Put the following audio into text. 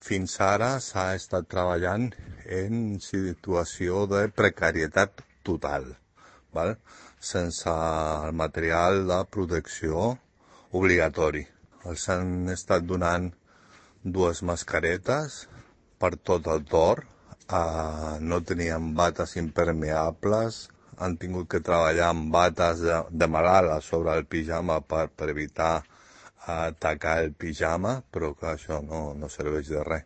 Fins ara s'ha estat treballant en situació de precarietat total, val? Sense el material de protecció obligatori. Els han estat donant 2 mascaretes per tot el torn, no tenien bates impermeables, han tingut que treballar amb bates de malalt a sobre el pijama per evitar atacar el pijama, però que això no serveix de res.